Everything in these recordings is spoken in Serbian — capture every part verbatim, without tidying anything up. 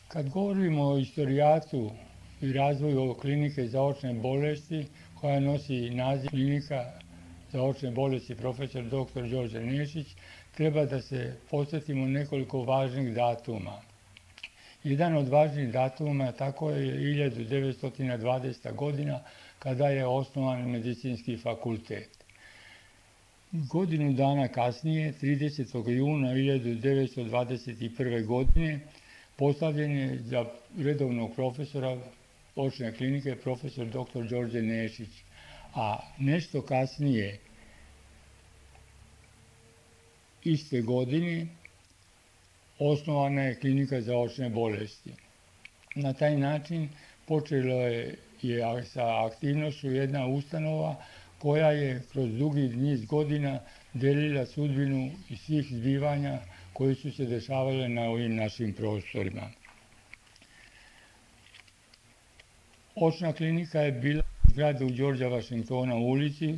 Kad govorimo o istorijatu i razvoju klinike za očne bolesti, koja nosi naziv klinika za očne bolesti profesor doktor Đorđe Nešić, treba da se podsjetimo nekoliko važnih datuma. Jedan od važnih datuma tako je hiljadu devetsto dvadeseta godina kada je osnovan medicinski fakultet. Godinu dana kasnije, tridesetog juna hiljadu devetsto dvadeset prve. godine, postavljen je za redovnog profesora očne klinike profesor doktor Đorđe Nešić, a nešto kasnije, iste godine, osnovana je klinika za očne bolesti. Na taj način počelo je, je sa aktivnošću jedna ustanova koja je kroz dugi niz godina delila sudbinu i svih zbivanja koji su se dešavale na ovim našim prostorima. Očna klinika je bila u zgradu Đorđa Vašingtona u ulici,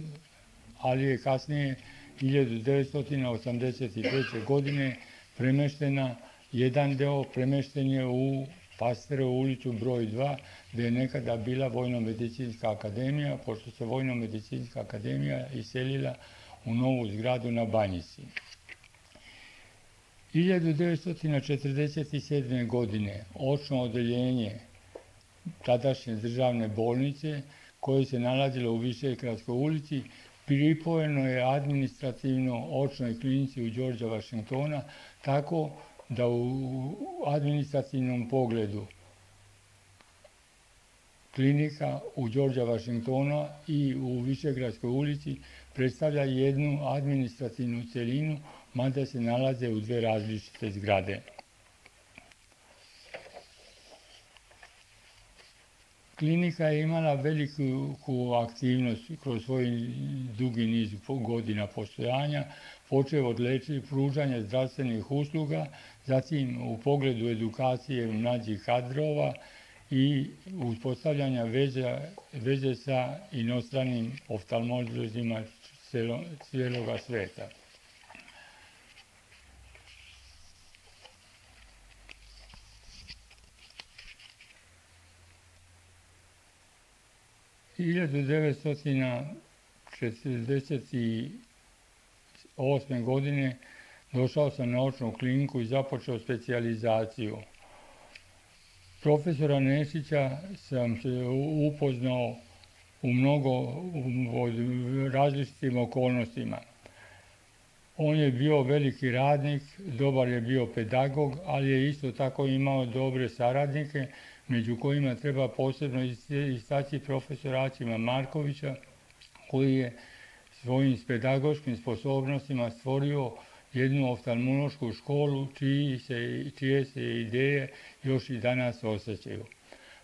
ali je kasnije hiljadu devetsto osamdeset treće. godine premeštena, jedan deo premešten je u Pasterovu ulicu broj dva, gde je nekada bila Vojno-medicinska akademija, pošto se Vojno-medicinska akademija iselila u novu zgradu na Banjici. hiljadu devetsto četrdeset sedme. godine očno odeljenje tadašnje državne bolnice, koje se nalazilo u Višegradskoj ulici, pripojeno je administrativno očnoj klinici u Đorđa Vašingtona, tako da u administrativnom pogledu klinika u Đorđa Vašingtona i u Višegradskoj ulici predstavlja jednu administrativnu celinu, mada se nalaze u dve različite zgrade. Klinika je imala veliku aktivnost kroz svoj dugi niz godina postojanja, počev od lečenja, pružanja zdravstvenih usluga, zatim u pogledu edukacije mlađih kadrova i uspostavljanja veze, veze sa inostranim oftalmolozima cijeloga sveta. hiljadu devetsto četrdeset osme. godine došao sam na očnu kliniku i započeo specijalizaciju. Profesora Nešića sam se upoznao u mnogo od različitim okolnostima. On je bio veliki radnik, dobar je bio pedagog, ali je isto tako imao dobre saradnike, među kojima treba posebno istaći profesora Acima Markovića, koji je svojim pedagoškim sposobnostima stvorio jednu oftalmološku školu čiji se, čije se ideje još i danas osjećaju.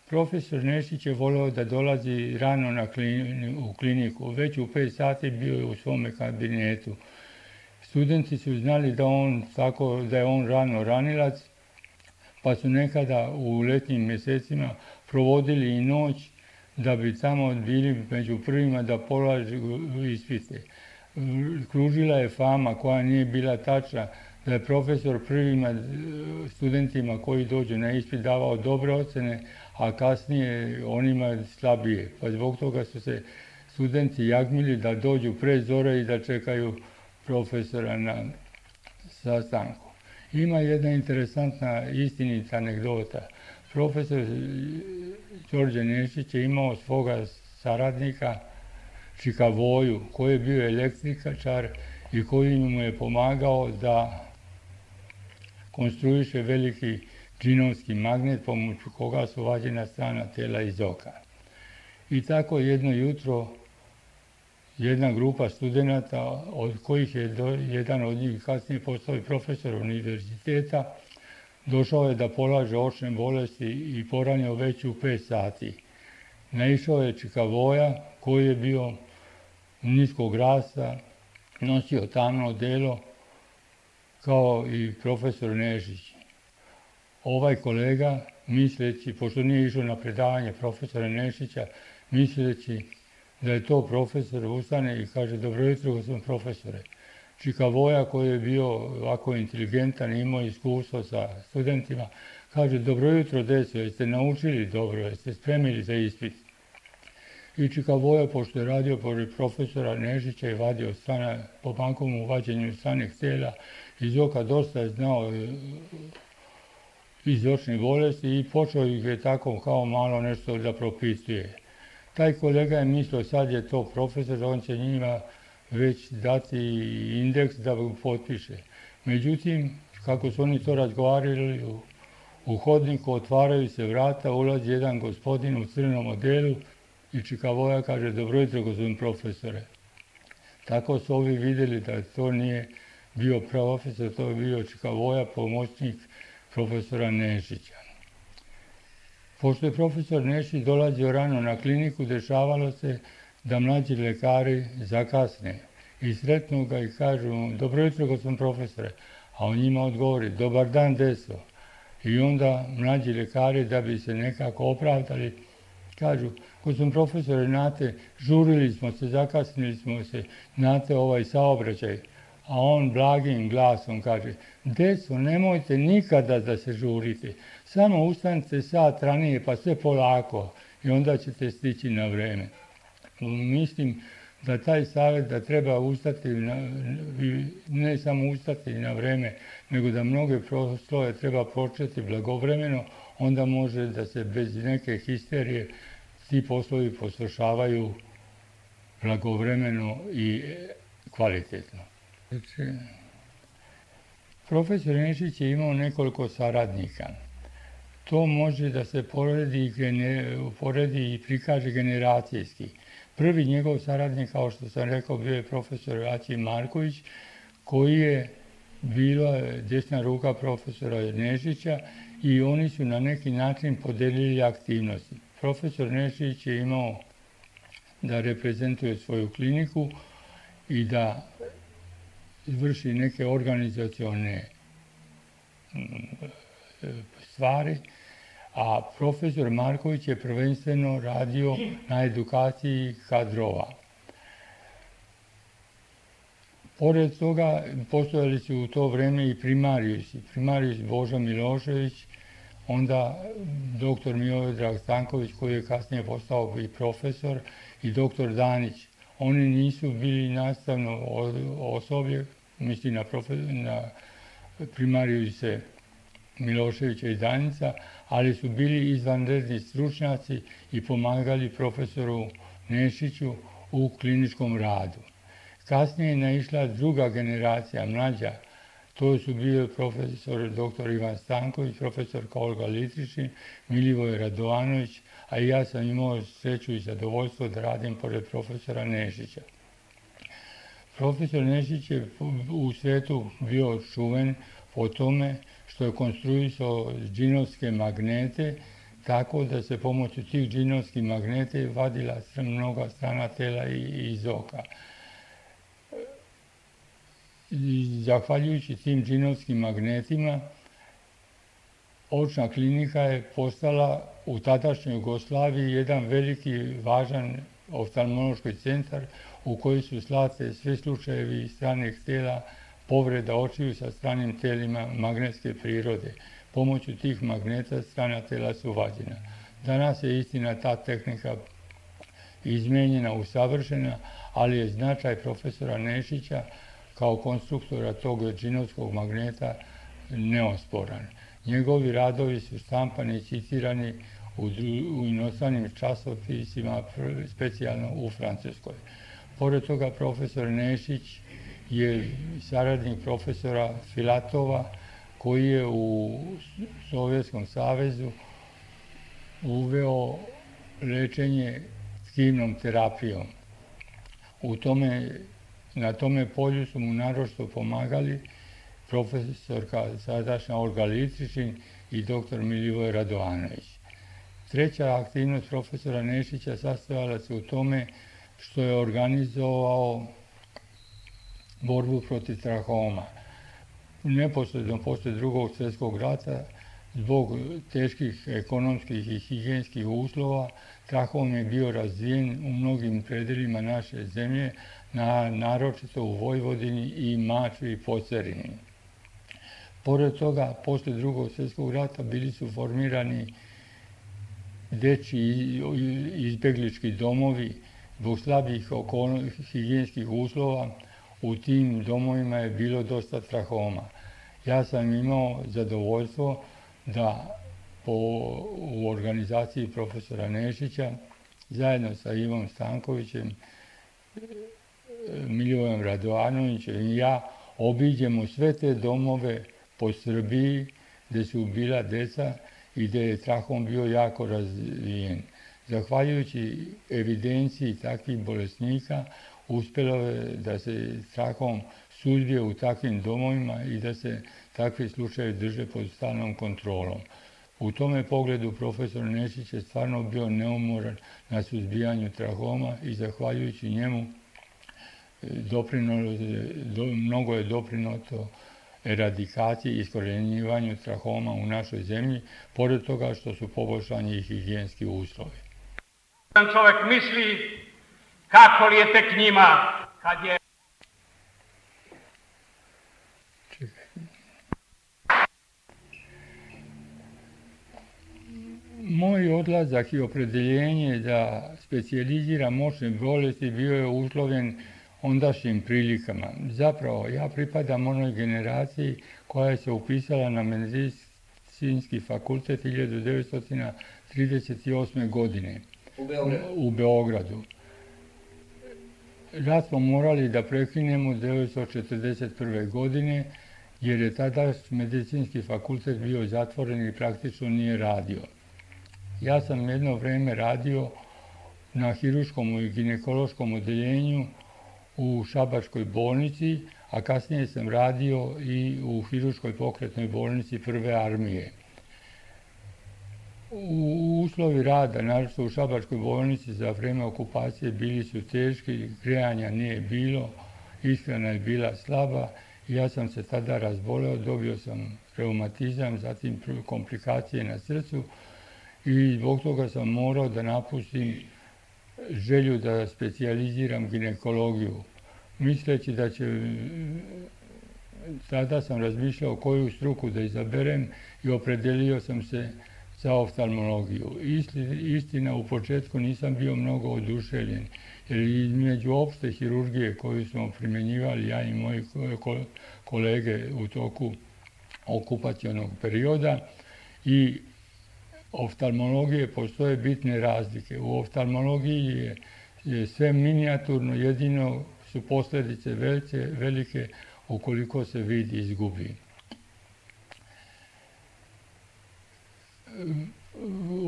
Profesor Nešić je voleo da dolazi rano na klini, u kliniku, već u pet sati bio je u svome kabinetu. Studenti su znali da, on, tako, da je on rano ranilac, pa su nekada u letnjim mjesecima provodili i noć da bi tamo bili među prvima da polažu ispite. Kružila je fama, koja nije bila tačna, da je profesor prvima studentima koji dođu na ispit davao dobre ocene, a kasnije onima slabije. Pa zbog toga su se studenti jagmili da dođu pre zore i da čekaju profesora na sastanku. Ima jedna interesantna istinita anegdota. Profesor Đorđe Nešić je imao svoga saradnika Čikavoju, koji je bio električar i koji mu je pomagao da konstruiše veliki džinovski magnet pomoću koga su vađena strana tela iz oka. I tako jedno jutro jedna grupa studenata, od kojih je do, jedan od njih kasnije postao i profesor univerziteta, došao je da polaže očne bolesti i poranio već u pet sati. Naišao je Čikavoja, koji je bio niskog rasta, nosio tamno odelo, kao i profesor Nešić. Ovaj kolega, misleći, pošto nije išao na predavanje profesora Nešića, misleći da je to profesor, ustane i kaže: dobro jutro, gospodine profesore. Čikavoja, koji je bio ovako inteligentan i imao iskustvo sa studentima, Kaže, dobro jutro, deco, jeste naučili dobro, jeste spremili za ispit. I Čika Voja, pošto je radio pored profesora Nešića i vadio strana, po bankovom vađenju stranih tijela iz oka, dosta je znao iz očnih bolesti i počeo ih je tako kao malo nešto da propisuje. Taj kolega je mislio, sad je to profesor, on će njima već dati indeks da potpiše. Međutim, kako su oni to razgovarali, u, u hodniku otvaraju se vrata, ulazi jedan gospodin u crnom odelu i Čika Voja kaže, dobro jutro, gospodin profesore. Tako su ovi vidjeli da to nije bio profesor, to je bio Čika Voja, pomoćnik profesora Nešića. Pošto je profesor Nešić dolazio rano na kliniku, dešavalo se da mlađi lekari zakasne i sretnu ga i kažu mu, dobro jutro, gospodin profesore, a on njima odgovori, dobar dan, deso. I onda mlađi lekari, da bi se nekako opravdali, kažu, gospodin profesore, znate, žurili smo se, zakasnili smo se, znate ovaj saobraćaj. A on blagim glasom kaže, deco, nemojte nikada da se žurite, samo ustanite sat ranije pa sve polako i onda ćete stići na vreme. Mislim da taj savjet da treba ustati, na, ne samo ustati na vreme, nego da mnoge poslove treba početi blagovremeno, onda može da se bez neke histerije ti poslovi poslušavaju blagovremeno i kvalitetno. Znači, profesor Nešić je imao nekoliko saradnika. To može da se poredi, poredi i prikaže generacijski. Prvi njegov saradnik, kao što sam rekao, bio je profesor Aćim Marković, koji je bila desna ruka profesora Nešića i oni su na neki način podelili aktivnosti. Profesor Nešić je imao da reprezentuje svoju kliniku i da vrši neke organizacione stvari, a profesor Marković je prvenstveno radio na edukaciji kadrova. Pored toga postojali su u to vrijeme i primarijusi. Primarijus Božo Milošević, onda doktor Miodrag Stanković, koji je kasnije postao i profesor, i doktor Danić. Oni nisu bili nastavno osoblje, mislim na, na primarijuse Miloševića i Danica, ali su bili izvanredni stručnjaci i pomagali profesoru Nešiću u kliničkom radu. Kasnije je naišla druga generacija, mlađa. To su bili profesor doktor Ivan Stanković, profesor Olga Litričin, Milivoj Radovanović, a i ja sam imao sreću i zadovoljstvo da radim pored profesora Nešića. Profesor Nešić je u svijetu bio čuven po tome što je konstruisao džinovske magnete, tako da se pomoću tih džinovskih magnete vadila mnoga strana tela iz oka. I zahvaljujući tim džinovskim magnetima, očna klinika je postala u tadašnjoj Jugoslaviji jedan veliki, važan oftalmološki centar u koji su slate svi slučajevi stranih tela, povreda očiju sa stranim telima magnetske prirode. Pomoću tih magneta strana tela su vađena. Danas je istina ta tehnika izmenjena, usavršena, ali je značaj profesora Nešića kao konstruktora tog džinovskog magneta neosporan. Njegovi radovi su štampani i citirani u, u inostranim časopisima, specijalno u Francuskoj. Pored toga, profesor Nešić je saradnik profesora Filatova, koji je u Sovjetskom savezu uveo lečenje tkivnom terapijom. U tome, na tome polju su mu naročito pomagali profesorka sadašnja Olga Litričin i doktor Milivoj Radovanović. Treća aktivnost profesora Nešića sastojala se u tome što je organizovao borbu protiv trahoma. Neposredno poslije drugog svjetskog rata, zbog teških ekonomskih i higijenskih uslova, trahom je bio razvijen u mnogim predelima naše zemlje, na, naročito u Vojvodini i Mačvi i Pocerini. Pored toga, poslije drugog svjetskog rata bili su formirani dečji izbjeglički domovi zbog slabih higijenskih uslova. U tim domovima je bilo dosta trahoma. Ja sam imao zadovoljstvo da po, u organizaciji profesora Nešića zajedno sa Ivom Stankovićem, Milivojem Radovanovićem i ja obiđemo sve te domove po Srbiji gdje su bila deca i gdje je trahom bio jako razvijen. Zahvaljujući evidenciji takvih bolesnika uspjelo je da se trahom suzbije u takvim domovima i da se takvi slučajevi drže pod stalnom kontrolom. U tome pogledu profesor Nešić je stvarno bio neumoran na suzbijanju trahoma i zahvaljujući njemu doprino, do, mnogo je doprinuto eradikaciji i iskorjenjivanju trahoma u našoj zemlji, pored toga što su poboljšani i higijenski uslovi. Čovjek misli kako li je tek njima kad je... Čekaj. Moj odlazak i opredeljenje da specijaliziram moćne bolesti bio je uslovljen ondašnjim prilikama. Zapravo, ja pripadam onoj generaciji koja je se upisala na medicinski fakultet hiljadu devetsto trideset osme. godine u Beogradu. U Beogradu. Rat smo morali da prekinemo devetsto četrdeset prve. godine jer je tada medicinski fakultet bio zatvoren i praktično nije radio. Ja sam jedno vrijeme radio na hiruškom i ginekološkom odeljenju u Šabačkoj bolnici, a kasnije sam radio i u hiruškoj pokretnoj bolnici Prve armije. U uslovi rada, naročito u Šabačkoj bolnici za vrijeme okupacije, bili su teški, grejanja nije bilo, ishrana je bila slaba. Ja sam se tada razboleo, dobio sam reumatizam, zatim komplikacije na srcu i zbog toga sam morao da napustim želju da specijaliziram ginekologiju. Misleći da će, tada sam razmišljao koju struku da izaberem i opredelio sam se za oftalmologiju. Istina, u početku nisam bio mnogo oduševljen, jer između opšte hirurgije koju smo primjenjivali ja i moji kolege u toku okupacionog perioda i oftalmologije postoje bitne razlike. U oftalmologiji je, je sve minijaturno, jedino su posljedice velike, velike ukoliko se vid izgubi.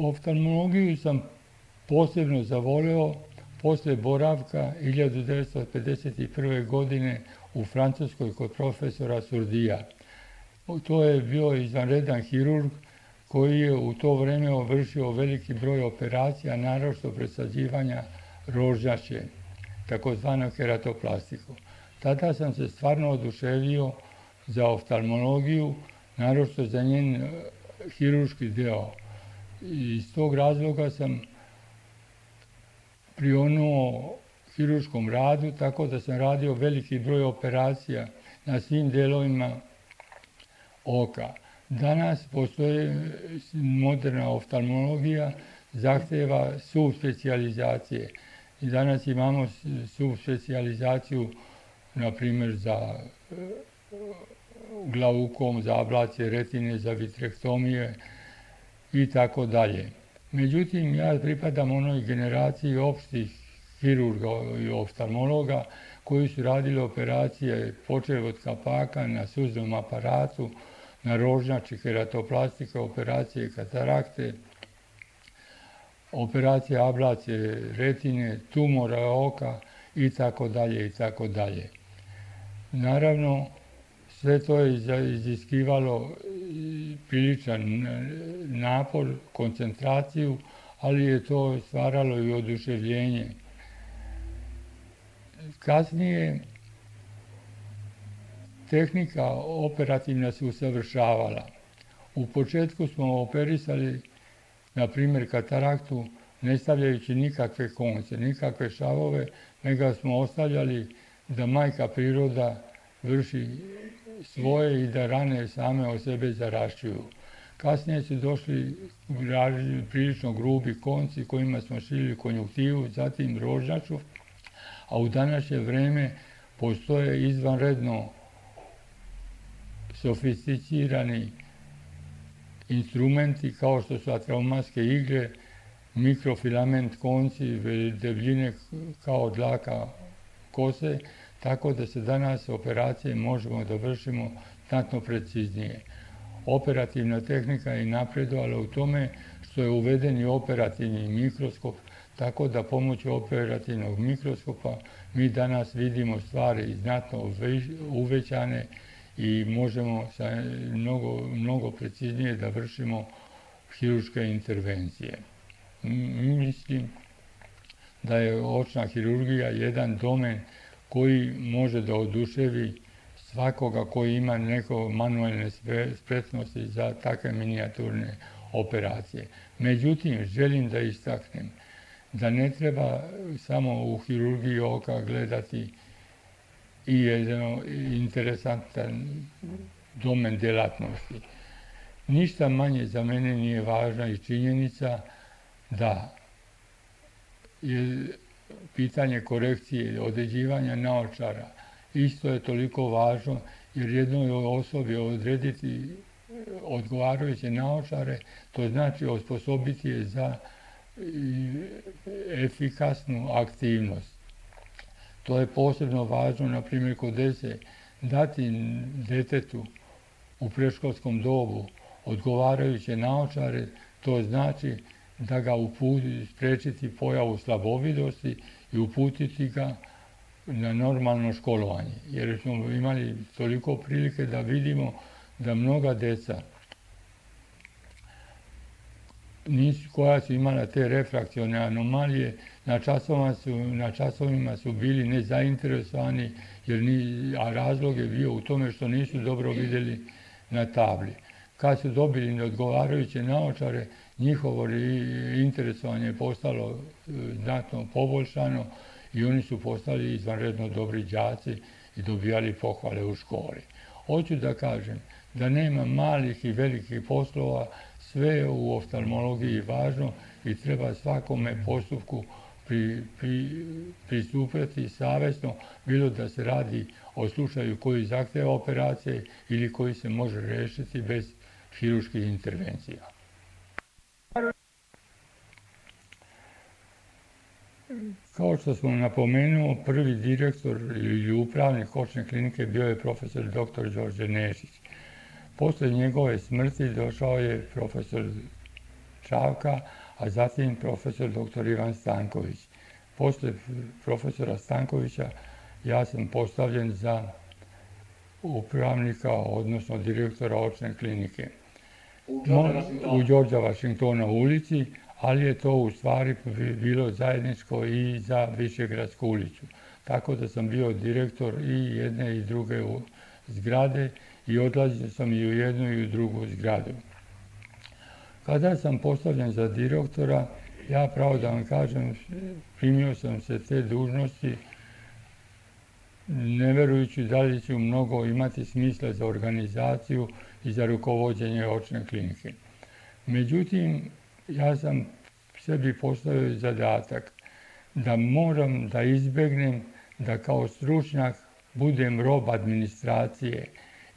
Oftalmologiju sam posebno zavoleo poslije boravka hiljadu devetsto pedeset prve. godine u Francuskoj kod profesora Surdija. To je bio izvanredan hirurg koji je u to vrijeme vršio veliki broj operacija, naročito presađivanja rožnjače, takozvanu keratoplastiku. Tada sam se stvarno oduševio za oftalmologiju, naročito za njen hirurški deo. I iz tog razloga sam prionuo hirurškom radu, tako da sam radio veliki broj operacija na svim delovima oka. Danas postoji moderna oftalmologija, zahtjeva subspecijalizacije. I danas imamo subspecijalizaciju, na primjer, za glaukom, za ablacije retine, za vitrektomije i tako dalje. Međutim, ja pripadam onoj generaciji opštih hirurga i oftalmologa koji su radili operacije počev od kapaka na suznom aparatu, na rožnjači, keratoplastika, operacije katarakte, operacije ablacije retine, tumora oka i tako dalje i tako dalje. Naravno, sve to je iziskivalo priličan napor, koncentraciju, ali je to stvaralo i oduševljenje. Kasnije tehnika operativna se usavršavala. U početku smo operisali, na primjer, kataraktu, ne stavljajući nikakve konce, nikakve šavove, nego smo ostavljali da majka priroda vrši svoje i da rane same od sebe zarašćuju. Kasnije su došli prilično grubi konci kojima smo šili konjuktivu, zatim rožnjaču, a u današnje vrijeme postoje izvanredno sofisticirani instrumenti kao što su atraumatske igle, mikrofilament konci debljine kao dlaka kose, tako da se danas operacije možemo da vršimo znatno preciznije. Operativna tehnika je napredovala u tome što je uveden i operativni mikroskop, tako da pomoću operativnog mikroskopa mi danas vidimo stvari znatno uvećane i možemo sa mnogo, mnogo preciznije da vršimo hirurške intervencije. Mislim da je očna hirurgija jedan domen koji može da oduševi svakoga koji ima neko manuelne spretnosti za takve minijaturne operacije. Međutim, želim da istaknem da ne treba samo u hirurgiji oka gledati i jedan interesantan domen djelatnosti. Ništa manje za mene nije važna i činjenica da je pitanje korekcije, određivanja naočara isto je toliko važno, jer jednoj osobi odrediti odgovarajuće naočare, to znači osposobiti je za efikasnu aktivnost. To je posebno važno, na primjer, kod djece, dati djetetu u predškolskom dobu odgovarajuće naočare, to znači da ga uputi, spriječiti pojavu slabovidosti i uputiti ga na normalno školovanje. Jer smo imali toliko prilike da vidimo da mnoga djeca nisu, koja su imala te refrakcione anomalije, na časovima su, na časovima su bili nezainteresovani, jer ni, a razlog je bio u tome što nisu dobro vidjeli na tabli. Kad su dobili neodgovarajuće naočare, njihovo interesovanje je postalo znatno poboljšano i oni su postali izvanredno dobri đaci i dobijali pohvale u školi. Hoću da kažem da nema malih i velikih poslova, sve je u oftalmologiji važno i treba svakome postupku pri, pri, pristupati savjesno, bilo da se radi o slučaju koji zahtjeva operacije ili koji se može riješiti bez hirurških intervencija. Kao što smo napomenuo, prvi direktor ili upravnik očne klinike bio je profesor doktor Đorđe Nešić. Poslije njegove smrti došao je profesor Čavka, a zatim profesor doktor Ivan Stanković. Poslije profesora Stankovića ja sam postavljen za upravnika, odnosno direktora očne klinike u Đorđa Vašingtona ulici, ali je to u stvari bilo zajedničko i za Višegradsku ulicu. Tako da sam bio direktor i jedne i druge zgrade i odlazio sam i u jednu i u drugu zgradu. Kada sam postavljen za direktora, ja pravo da vam kažem, primio sam se te dužnosti ne verujući da li ću mnogo imati smisla za organizaciju i za rukovođenje očne klinike. Međutim, ja sam sebi postavio zadatak da moram da izbjegnem da kao stručnjak budem rob administracije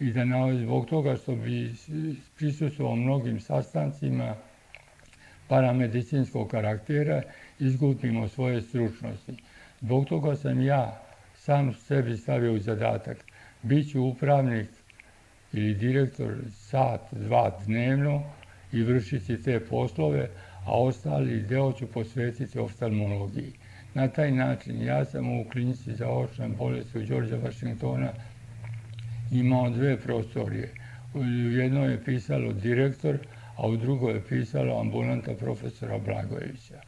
i da na, zbog toga što bi prisustvovao mnogim sastancima paramedicinskog karaktera izgubimo svoje stručnosti. Zbog toga sam ja sam sebi stavio u zadatak. Biću upravnik ili direktor sat, dva dnevno i vršiti te poslove, a ostali deo ću posvetiti oftalmologiji. Na taj način ja sam u klinici za očne bolesti u Đorđa Vašingtona imao dve prostorije. U jednoj je pisalo direktor, a u drugoj je pisalo ambulanta profesora Blagojevića.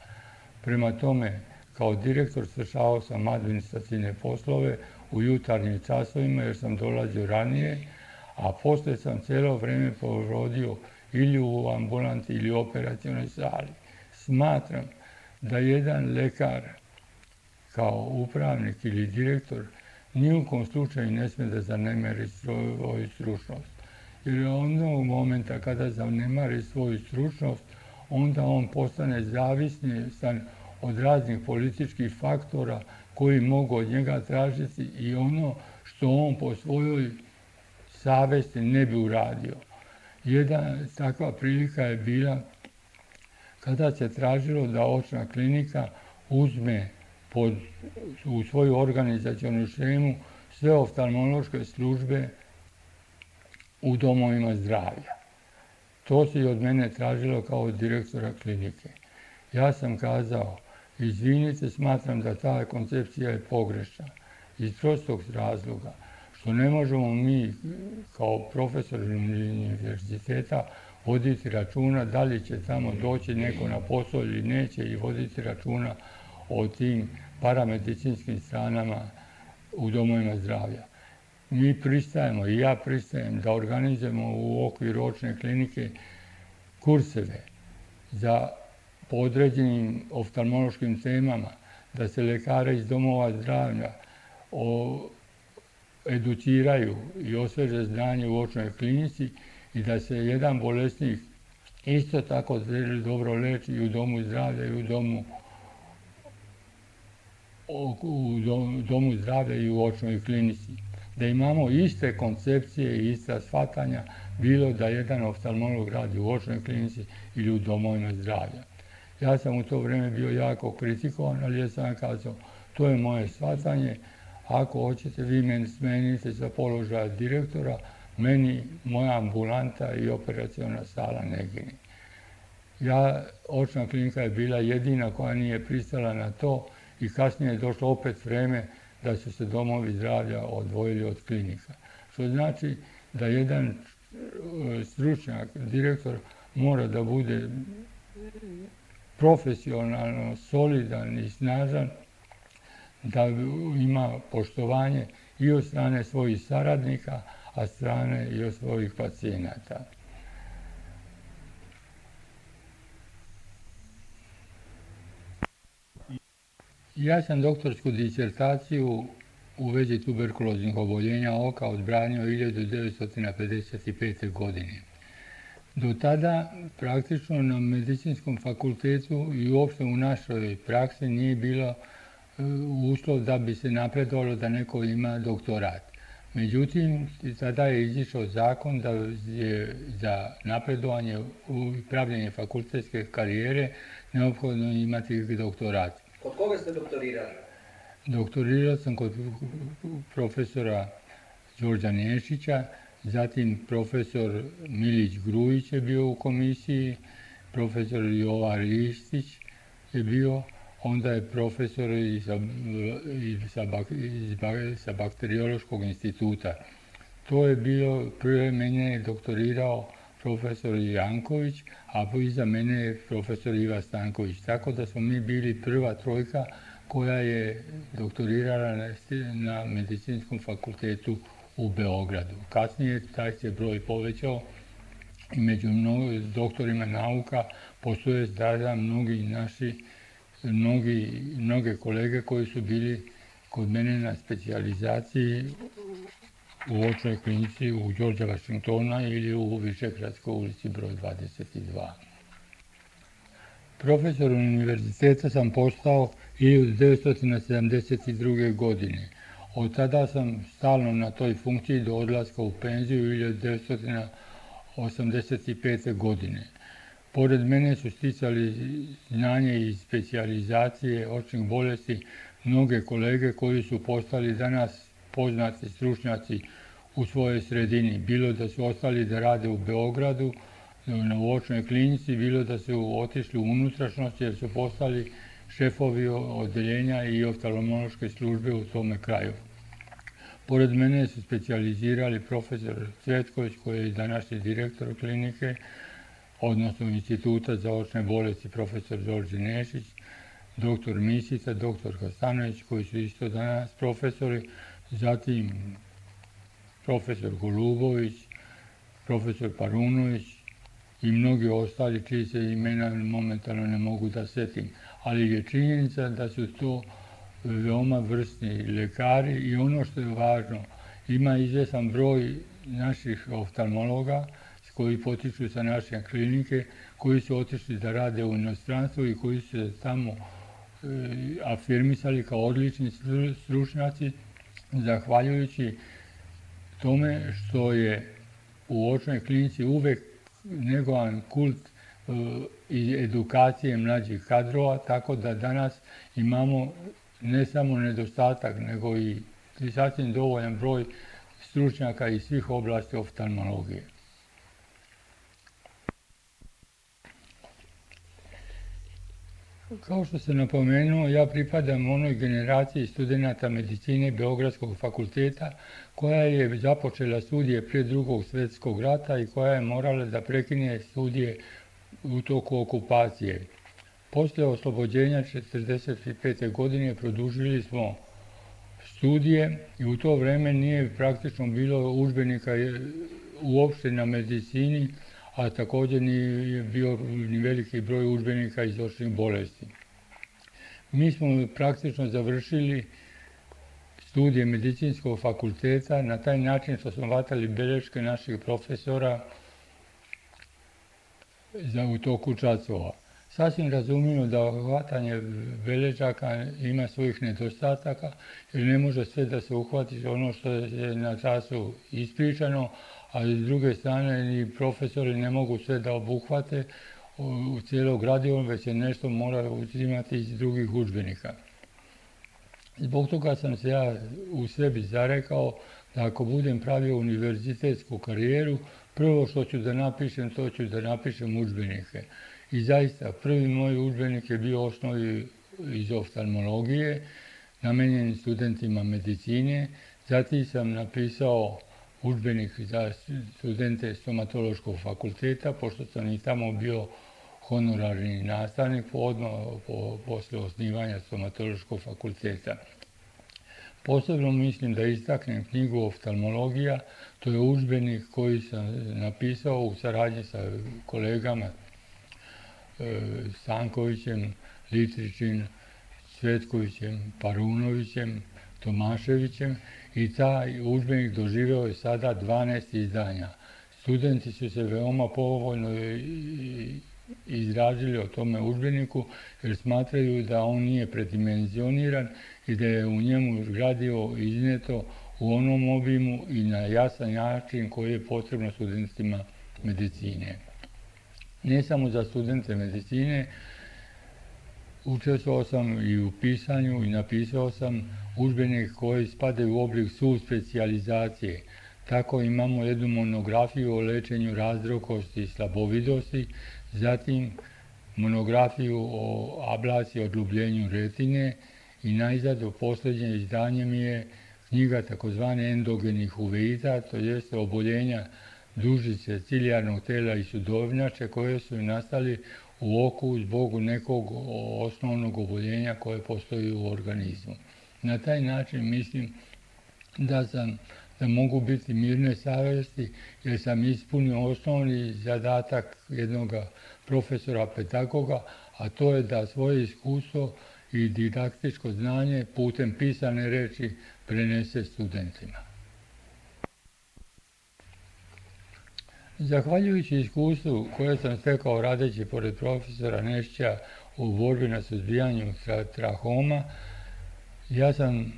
Prema tome, kao direktor svršavao sam administrativne poslove u jutarnjim časovima jer sam dolazio ranije, a poslije sam cijelo vrijeme provodio ili u ambulanti ili u operativnoj sali. Smatram da jedan lekar kao upravnik ili direktor ni u kom slučaju ne smije da zanemari svoju stručnost. Jer onog momenta kada zanemari svoju stručnost, onda on postane zavisan od raznih političkih faktora koji mogu od njega tražiti i ono što on po svojoj savesti ne bi uradio. Jedna takva prilika je bila kada se tražilo da očna klinika uzme pod, u svoju organizacionu šemu sve oftalmološke službe u domovima zdravlja. To se i od mene tražilo kao od direktora klinike. Ja sam kazao, izvinite, smatram da ta koncepcija je pogrešna. Iz prostog razloga što ne možemo mi kao profesori univerziteta voditi računa da li će tamo doći neko na posao ili neće i voditi računa o tim paramedicinskim stranama u domovima zdravlja. Mi pristajemo i ja pristajem da organizujemo u okviru očne klinike kurseve za po određenim oftalmološkim temama, da se lekare iz domova zdravlja o, educiraju i osveže znanje u očnoj klinici i da se jedan bolesnik isto tako dobro leči i u domu zdravlja i u domu, u domu, domu zdravlja i u očnoj klinici. Da imamo iste koncepcije i ista shvatanja, bilo da jedan oftalmolog radi u očnoj klinici ili u domovima zdravlja. Ja sam u to vrijeme bio jako kritikovan, ali ja sam kazao, to je moje shvatanje, ako hoćete vi meni smenite za položaja direktora, meni moja ambulanta i operaciona sala ne gine. Ja, očna klinika je bila jedina koja nije pristala na to i kasnije je došlo opet vrijeme da su se domovi zdravlja odvojili od klinika. Što znači da jedan stručnjak, direktor, mora da bude profesionalno, solidan i snažan, da ima poštovanje i od strane svojih saradnika, a strane i od svojih pacijenata. Ja sam doktorsku disertaciju u vezi tuberkuloznih oboljenja oka odbranio hiljadu devetsto pedeset pete. godine. Do tada praktično na medicinskom fakultetu i uopšte u našoj praksi nije bilo uslov da bi se napredovalo da neko ima doktorat. Međutim, tada je izišao zakon da je za napredovanje u pravljenje fakultetske karijere neophodno imati doktorat. Kod koga ste doktorirali? Doktorirao sam kod profesora Đorđa Nešića, zatim profesor Milić Grujić je bio u komisiji, profesor Jovan Ristić je bio, onda je profesor iz, iz, sa bakteriološkog instituta. To je bilo, prije mene je doktorirao profesor Janković, a iza mene je profesor Iva Stanković. Tako da smo mi bili prva trojka koja je doktorirala na, na medicinskom fakultetu u Beogradu. Kasnije taj se broj povećao i među mnogo, doktorima nauka postoje sada mnogi naši, mnogi, mnoge kolege koji su bili kod mene na specijalizaciji u očnoj klinici u Đorđa Vašingtona ili u Višegradskoj ulici broj dvadeset dva. Profesor univerziteta sam postao hiljadu devetsto sedamdeset druge. godine. Od tada sam stalno na toj funkciji do odlaska u penziju hiljadu devetsto osamdeset pete. godine. Pored mene su sticali znanje iz specijalizacije očnih bolesti mnoge kolege koji su postali danas poznati stručnjaci u svojoj sredini. Bilo da su ostali da rade u Beogradu, na očnoj klinici, bilo da su otišli u unutrašnjost jer su postali šefovi odeljenja i oftalmološke službe u tome kraju. Pored mene su specijalizirali profesor Cvetković, koji je današnji direktor klinike, odnosno Instituta za očne bolesti, profesor Đorđe Nešić, doktor Misica, doktor Kostanović, koji su isto danas profesori, zatim profesor Golubović, profesor Parunović i mnogi ostali čiji se imena momentalno ne mogu da setim. Ali je činjenica da su to veoma vrsni lekari i ono što je važno, ima izvjestan broj naših oftalmologa koji potiču sa naše klinike, koji su otišli da rade u inostranstvu i koji su se tamo e, afirmisali kao odlični stručnjaci, zahvaljujući tome što je u očnoj klinici uvek negovan kult e, i edukacije mlađih kadrova, tako da danas imamo ne samo nedostatak, nego i sasvim dovoljan broj stručnjaka iz svih oblasti oftalmologije. Kao što sam napomenuo, ja pripadam onoj generaciji studenata medicine Beogradskog fakulteta koja je započela studije prije drugog svjetskog rata i koja je morala da prekine studije u toku okupacije. Poslije oslobođenja četrdeset pete. godine produžili smo studije i u to vreme nije praktično bilo udžbenika uopšte na medicini, a također nije bio ni veliki broj udžbenika iz očnih bolesti. Mi smo praktično završili studije medicinskog fakulteta na taj način što smo vatali beleške naših profesora za u toku časova. Sasvim razumljivo da hvatanje beležaka ima svojih nedostataka jer ne može sve da se uhvati ono što je na času ispričano, ali s druge strane ni profesori ne mogu sve da obuhvate u cijelo gradivo, već se nešto mora uzimati iz drugih udžbenika. Zbog toga sam se ja u sebi zarekao da ako budem pravio univerzitetsku karijeru, prvo što ću da napišem, to ću da napišem udžbenike. I zaista, prvi moj udžbenik je bio osnovi iz oftalmologije, namenjen studentima medicine. Zatim sam napisao udžbenik za studente stomatološkog fakulteta, pošto sam i tamo bio honorarni nastavnik odmah po, posle osnivanja stomatološkog fakulteta. Posebno mislim da istaknem knjigu Oftalmologija, to je udžbenik koji sam napisao u saradnji sa kolegama e, Stankovićem, Litričin, Cvetkovićem, Parunovićem, Tomaševićem i taj udžbenik doživeo je sada dvanaest izdanja. Studenti su se veoma povoljno izrazili o tome udžbeniku jer smatraju da on nije predimenzioniran i da je u njemu gradivo izneto u onom obimu i na jasan način koji je potrebno studentima medicine. Ne samo za studente medicine, učestvovao sam i u pisanju i napisao sam udžbenik koji spadaju u oblik subspecijalizacije. Tako imamo jednu monografiju o lečenju razdrokosti i slabovidosti, zatim monografiju o ablaciji i odljubljenju retine i najzad u posljednje izdanje mi je knjiga takozvane endogenih uveita, to jeste oboljenja dužice ciljarnog tela i sudovnjače koje su nastali u oku zbog nekog osnovnog oboljenja koje postoji u organizmu. Na taj način mislim da sam da mogu biti mirne savjesti jer sam ispunio osnovni zadatak jednog profesora pedagoga, a to je da svoje iskustvo i didaktičko znanje putem pisane reči prenese studentima. Zahvaljujući iskustvu koje sam stekao radeći pored profesora Nešća u borbi na suzbijanju trahoma, ja sam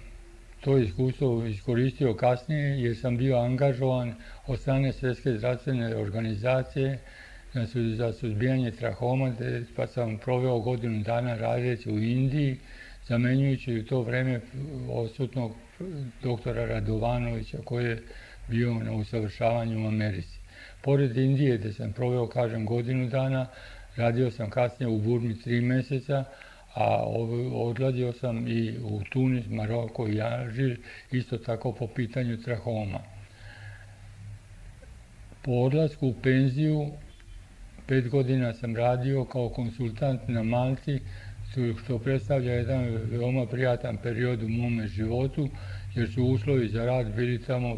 to iskustvo iskoristio kasnije jer sam bio angažovan od strane Svjetske zdravstvene organizacije za suzbijanje trahoma, pa sam proveo godinu dana radeći u Indiji, zamenjujući u to vreme odsutnog doktora Radovanovića koji je bio na usavršavanju u Americi. Pored Indije, gdje sam proveo, kažem, godinu dana, radio sam kasnije u Burmi tri mjeseca, a odladio sam i u Tunis, Maroko i Alžir, isto tako po pitanju trahoma. Po odlasku u penziju, pet godina sam radio kao konsultant na Malti, što predstavlja jedan veoma prijatan period u mome životu, jer su uslovi za rad bili tamo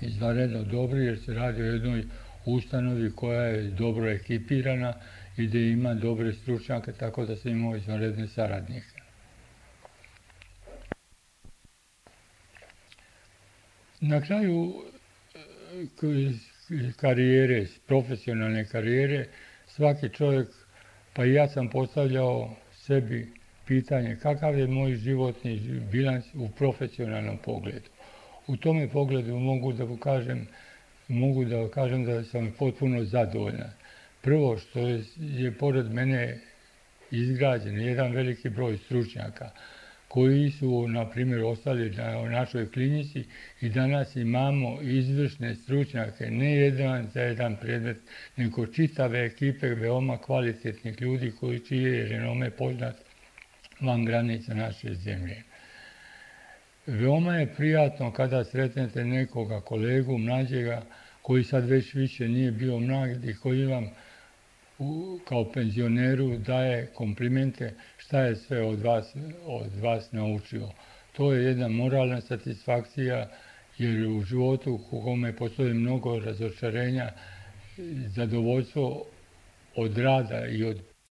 izvanredno dobri, jer se radi o jednoj ustanovi koja je dobro ekipirana i gdje ima dobre stručnjake, tako da sam imao izvanredne saradnike. Na kraju karijere, profesionalne karijere, svaki čovjek, pa i ja sam postavljao sebi pitanje kakav je moj životni bilans u profesionalnom pogledu. U tome pogledu mogu da kažem, mogu da kažem da sam potpuno zadovoljan. Prvo što je, je pored mene izgrađen jedan veliki broj stručnjaka koji su, na primjer, ostali na našoj klinici i danas imamo izvršne stručnjake, ne jedan za jedan predmet, nego čitave ekipe veoma kvalitetnih ljudi koji čije je renome poznat van granica naše zemlje. Veoma je prijatno kada sretnete nekoga kolegu mlađega koji sad već više nije bio mlad i koji vam u, kao penzioneru daje komplimente šta je sve od vas, od vas naučio. To je jedna moralna satisfakcija jer u životu u kome postoji mnogo razočarenja, zadovoljstvo od rada i od